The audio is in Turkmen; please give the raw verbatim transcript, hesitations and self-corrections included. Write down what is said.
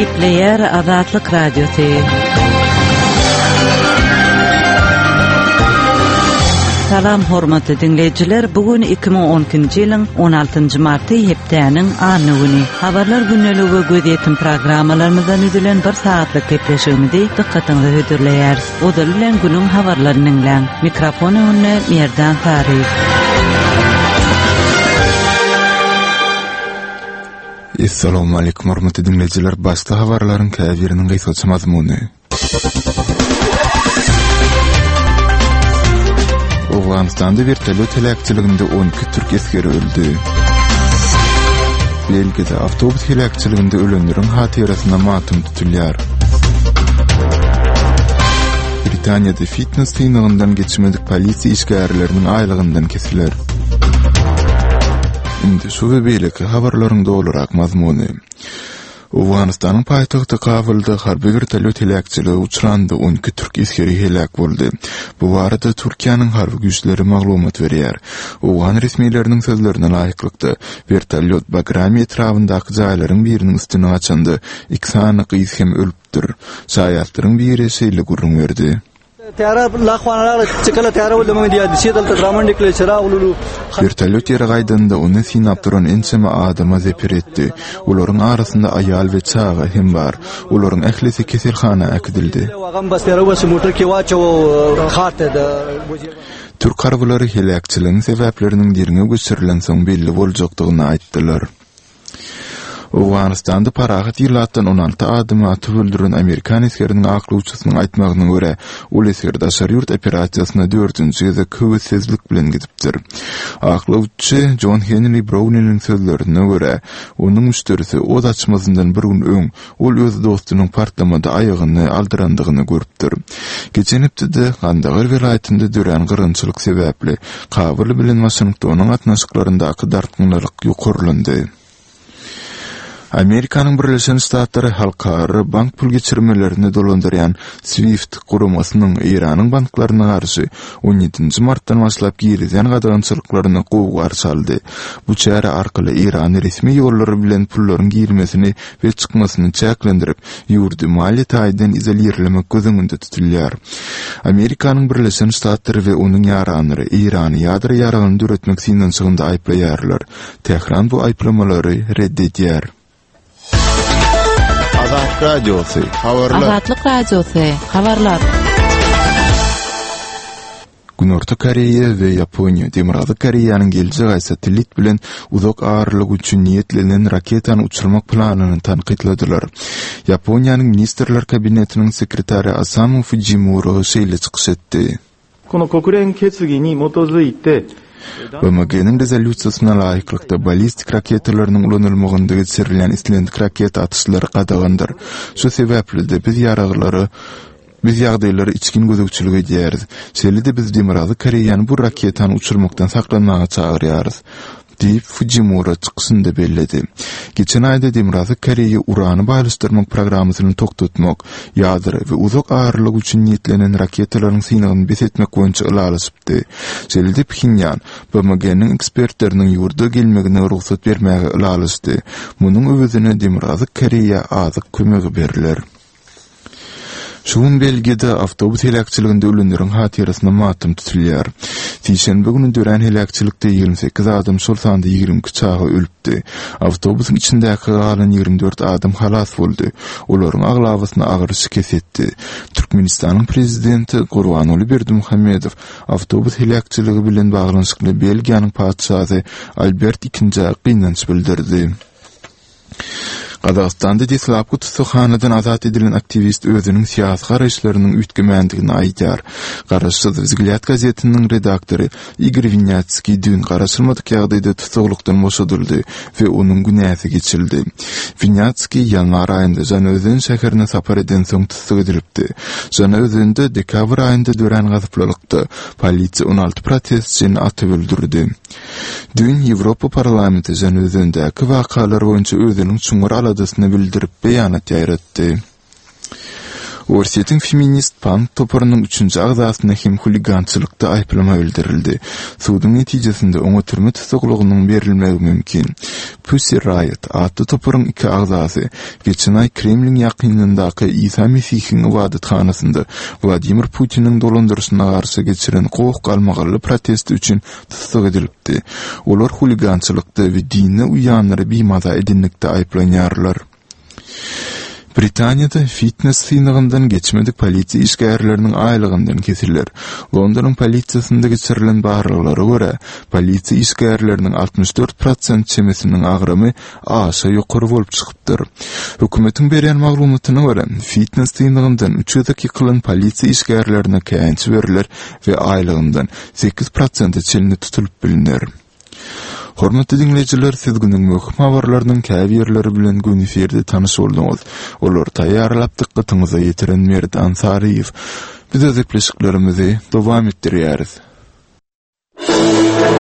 Gepleýär Azatlyk Radiosy. Salam hormatly diňleýjiler, bu gün iki müň on ikinji ýylyň on altynjy marty hepdäniň anna güni. Habarlar gündeligi we gözýetim programmalarymyzdan üzülen bir saatlyk gepleşigimizi dykgatyňyza hödürleýäris. Ozaly bilen günüň habarlaryny diňläň. Mikrofon öňünde Merdan Saryýew. Essalamu aleýkum hormatly diňleýjiler. Başda habarlaryň käbiriniň gysgaça mazmuny. Owganystanda wertolýot heläkçiliginde on iki türk esgeri öldi. Belgiýada awtobus heläkçiliginde ölenleriň hatyrasyna matam tutulýar. Britaniýada fitness synagyndan geçmedik polisiýa işgärleriniň aýlygyndan kesiler. Indi şu we beýleki habarlaryň dolurak mazmuny. Owganystanyň paýtagty Kabulda harby wertolýot heläkçilige uçranda on iki türk esgeri heläk boldy. Bu barada Türkiýäniň harby güýçleri maglumat berýär. Owgan resmileriniň sözlerine laýyklykda, wertolýot Bagrami etrabyndaky jaýlaryň biriniň üstüne gaçanda iki sany gyz hem ölüpdir. Şaýatlaryň biri şeýle gürrüň berdi. Tära lahwanalar çykala tära boldy muň diýýär. Dişi dalda draman dikle çyra ululu. Wertolýot ýere gaýdanda ony synap duran ençeme adama zeper etdi. Olaryň arasynda aýal we çaga hem bar. Olaryň ählisi keselhana äkidildi. Türk harbylary heläkçiligiň sebäpleriniň derňew geçirilensoň belli boljakdygyny aýtdylar. Owganystanda parahat ilatdan on alty adamy atyp öldüren amerikan esgeriniň aklawçysynyň aýtmagyna görä, ol esger daşary ýurt operasiýasyna dördünji gezek höwessizlik bilen gidipdir. Aklawçy John Henry Browniniň sözlerine görä, onuň müşderisi oz açmazyndan bir gün öň ol öz dostunyň partlamada aýagyny aldyrandygyny görüpdir. Geçen hepdede Gandagar welaýatynda dörän gyrgynçylyk sebäpli Kabul bilen Waşingtonyň gatnaşyklaryndaky dartgynlylyk ýokarlandy. Amerikanyň Birleşen Ştatlary halkara bank pul geçirmelerini dolandyrýan SWIFT guramasynyň Eýranyň banklaryna garşy on ýedinji martdan başlap girizýän gadagançylyklaryny gowy garşy aldy. Bu çäre arkaly Eýrany resmi ýollary bilen pullaryň girmesini we çykmasyny çäklendirip, ýurdy maliýe taýdan izolirlemek göz öňünde tutulýar. Amerikanyň Birleşen Ştatlary we onuň ýaranlary Eýrany ýadro ýaragyny döretmek synanyşygynda aýyplaýarlar. Tähran bu aýyplamalary red edýär. Azatlyk Radiosy, habarlar. Azatlyk Radiosy, habarlar. Günorta Koreýa we Ýaponiýa Demirgazyk Koreýanyň geljek aý satellit bilen uzak aralyk üçin niýetlenen raketany uçurmak planyny tankytladylar. Ýaponiýanyň Ministrler Kabinetiniň sekretary Osamu Fujimura şeýle çykyş etdi. Kono kokuren ketsugi ni motozuite B M G-niň rezolýusiýasyna laýyklykda ballistik raketalarynyň ulanylmagynda geçirilýän islendik raketa atyşlary gadagandyr. Şu sebäpli-de biz ýaraglary biz ýagdaýlara içgin gözegçilik edýäris. Şeýle-de biz Demirgazyk Koreýany bu raketany uçurmakdan saklanmaga çagyrýarys, diýip Fujimura çykyşynda belledi. Geçen aýda Demirgazyk Koreýa urany baýlaşdyrmak programmasyny togtatmak, ýadro we uzak aralyk üçin niýetlenen raketalaryň synagyny bes etmek boýunça ylalaşypdy. Şeýle-de Phenýan B M G-niň ekspertleriniň ýurda gelmegine rugsat bermäge ylalaşdy. Munuň öwezine Demirgazyk Koreýa azyk kömegi berler. Şu gün Belgiýada awtobus heläkçiliginde ölenleriň hatyrasyna matam tutulýar. Sişenbe güni dörän heläkçilikde ýigrimi sekiz adam, şol sanda ýigrimi iki çaga ölüpdi. Awtobusyň içindäki galan ýigrimi dört adam halas boldy. Olaryň aglabasyna agyr şikes etdi. Türkmenistanyň prezidenti Gurbanguly Berdimuhamedow awtobus heläkçiligi bilen baglanyşykly Belgiýanyň patyşasy Albert ikinjä gynanç bildirdi. Gazagystanda deslapky tussaghanadan azat edilen aktiwist özüniň syýasy garaýyşlarynyň üýtgemändigini aýdýar. Garaşsyz Wzglýad gazetiniň redaktory Igor Winýatskiý düýn garaşylmadyk ýagdaýda tussaglykdan boşadyldy we onuň günäsi geçildi. Winýatskiý ýanwar aýynda Žanaözen şäherine sapar edensoň tussag edilipdi. Žanaözende dekabr aýynda dörän gazyplylykda polisiýa on alty protestçini atyp öldürdi. Düýn Ýewropa parlamenti Žanaözendäki wakalar boýunça özüniň çuňňur aladasyny bildirip beýanat ýaýratdy. Orsýetiň feminist punk toparynyň üçünji agzasyna hem huligançylykda aýyplama bildirildi. Suduň netijesinde oňa türme tutuklygynyň berilmegi mümkin. Pussy Riot atly toparyň iki agzasy geçen aý Kremliň ýakynyndaky Isa Mesihiň ybadathanasynda Wladimir Putiniň dolandyryşyna garşy geçiren goh-galmagally protesti üçin tussag edilipdi. Olar huligançylykda we dine uýanlary bimaza edenlikde aýyplanýarlar. Britaniýada fitness synagyndan geçmedik polisiýa işgärleriniň aýlygyndan kesiler. Londonyň polisiýasynda geçirilen barlaglara görä, polisiýa işgärleriniň altmyş dört prosent çemesiniň agramy aşa ýokary bolup çykypdyr. Hökümetiň berýän maglumatyna görä, fitness synagyndan üç gezek ýykylan polisiýa işgärlerine käýinç beriler we aýlygyndan sekiz prosente çenli tutulyp bilner. Hormatly diňleýjiler, siz günüň möhüm habarlarynyň käbirleri bilen gün efirde tanyş bolduňyz. Olary taýýarlap dykgatyňyza ýetiren Merdan Saryýew. Biz öz gepleşiklerimizi dowam etdirýäris.